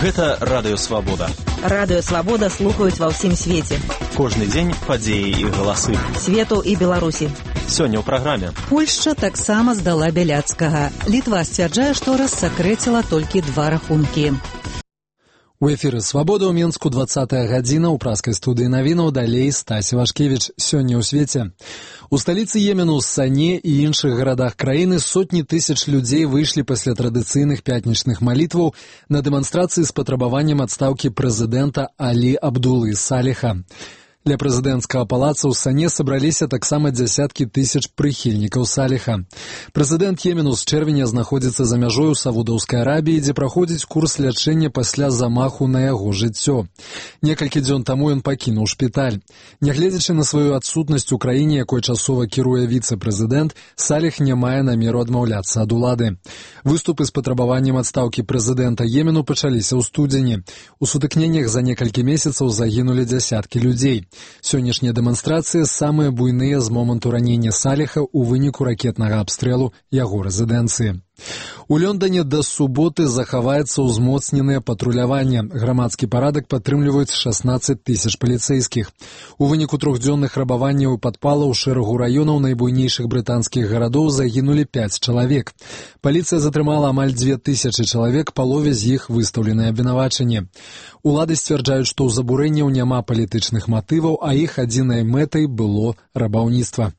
Гэта Радыё Свабода. Радыё Свабода слухаюць ва ўсім свеце. Кожны дзень падзеі і галасы. Свету і Беларусі. Сёння ў праграме. Польшча таксама здала Бяляцкага. Літва сцвярджае, што рассакрэціла толькі 2 рахункі. У эфіры «Свабода» ў Менску 20-я гадзіна, у праскай студыі навінаў далей Стасі Вашкевіч. Сёння ў свеце. У сталіцы Йемену, Сане і іншых гарадах краіны сотні тысяч людзей выйшлі пасля традыцыйных пятнічных малітваў на дэманстрацыі з патрабаваннем адстаўкі прэзідэнта Алі Абдулы Саліха. Ля прэзідэнцкага палаца ў Сане сабраліся таксама дзясяткі тысяч прыхільнікаў Саліха. Прэзідэнт Йемену з чэрвеня знаходзіцца за мяжой у Саудаўскай Арабіі, дзе праходзіць курс лячэння пасля замаху на яго жыццё. Некалькі дзён таму ён пакінуў шпіталь. Нягледзячы на сваю адсутнасць у краіне, якой часова кіруе віцэ-прэзідэнт, Саліх не мае намеру адмаўляцца ад улады. Выступы з патрабаваннем адстаўкі прэзідэнта Йемену пачаліся ў студзені. У сутыкненнях за некалькі месяцаў загінулі дзясяткі людзей. Сённяшнія дэманстрацыі самыя буйныя з моманту ранення Саліха ў выніку ракетнага абстрэлу яго рэзідэнцыі. У Лондоне да суботы захаваецца ўзмоцненае патруляванне. Грамадскі парадак падтрымліваюць 16 тысяч паліцэйскіх. У выніку 3-дзённых рабаванняў і падпалаў шэрагу раёнаў найбуйнейшых брытанскіх гарадоў загінулі 5 чалавек. Паліцыя затрымала амаль 2000 чалавек, палове з іх выстаўленыя абвінавачанні. Улады сцвярджаюць, што ў забурэнняў няма палітычных матываў, а іх адзінай мэтай было рабаўніцтва.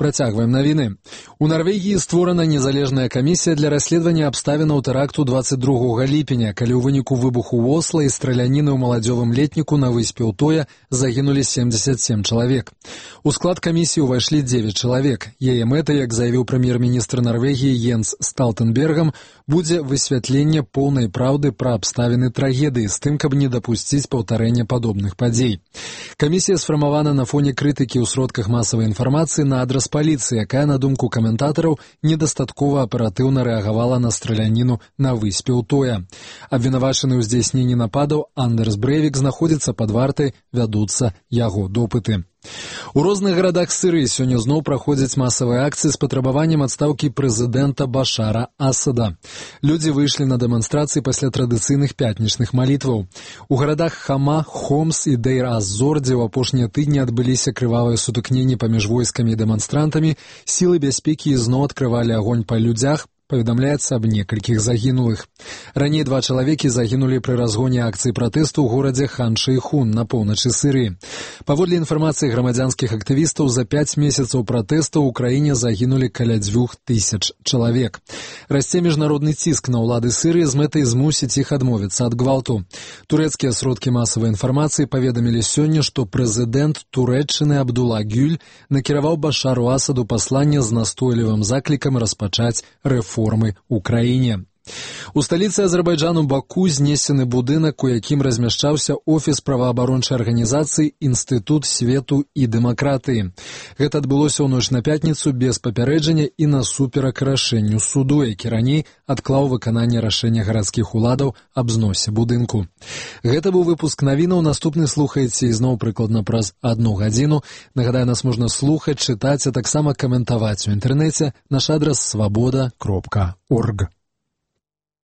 Працягваем навіны. У Нарвегіі створана незалежная камісія для расследавання абставінаў тэракту 22 ліпеня, калі ў выніку выбуху ў Осла і страляніны ў маладзёвым летніку на выспе Утоя загінулі 77 чалавек. У склад камісіі ўвайшлі 9 чалавек. Яе мэтай, як заявіў прэм'ер-міністр Нарвегіі Йенс Сталтенбергам, будзе высвятленне поўнай праўды пра абставіны трагедыі з тым, каб не дапусціць паўтарэння падобных падзей. Камісія сфармавана на фоне крытыкі ў сродках масавай інфармацыі на адрас паліцыі, якая, на думку каментатараў, недастаткова аператыўна рэагавала на страляніну на выспе Утоя. Абвінавачаны ў здзяйсненні нападаў Андерс Брэйвік знаходзіцца пад вартай, вядуцца яго допыты. У розных гарадах Сірыі сёння зноў праходзяць масавыя акцыі з патрабаваннем адстаўкі прэзідэнта Башара Асада. Людзі выйшлі на дэманстрацыі пасля традыцыйных пятнічных малітваў. У гарадах Хама, Хомс і Дейр-аз-Зор, дзе ў апошнія тыдні адбыліся крывавыя сутыкненні паміж войскамі і дэманстрантамі, сілы бяспекі ізноў адкрывалі агонь па людзях, паведамляецца аб некалькіх загінулых. Раней 2 чалавекі загінулі пры разгоне акцыі пратэсту ў горадзе Хан-Шэйхун на поўначы Сірыі. Паводле інфармацыі грамадзянскіх актывістаў, за 5 месяцаў пратэстаў у краіне загінулі каля 2000 чалавек. Расце міжнародны ціск на ўлады Сірыі з мэтай змусіць іх адмовіцца ад гвалту. Турэцкія сродкі масавай інфармацыі паведамілі сёння, што прэзідэнт Турэччыны Абдула Гюль накіраваў Башару Асаду пасланне з настойлівым заклікам распачаць рэформы ў краіне. У сталіцы Азербайджану Баку знесены будынак, у якім размяшчаўся офіс праваабарончай арганізацыі «Інстытут свету і дэмакратыі». Гэта адбылося ў ноч на пятніцу без папярэджання і насуперак рашэнню суду, які раней адклаў выкананне рашэння гарадскіх уладаў аб зносе будынку. Гэта быў выпуск навінаў. Наступны слухаеце ізноў прыкладна праз 1 гадзіну. Нагадаю, нас можна слухаць, чытаць, а таксама каментаваць у інтэрнэце. Наш адрас свабода.орг.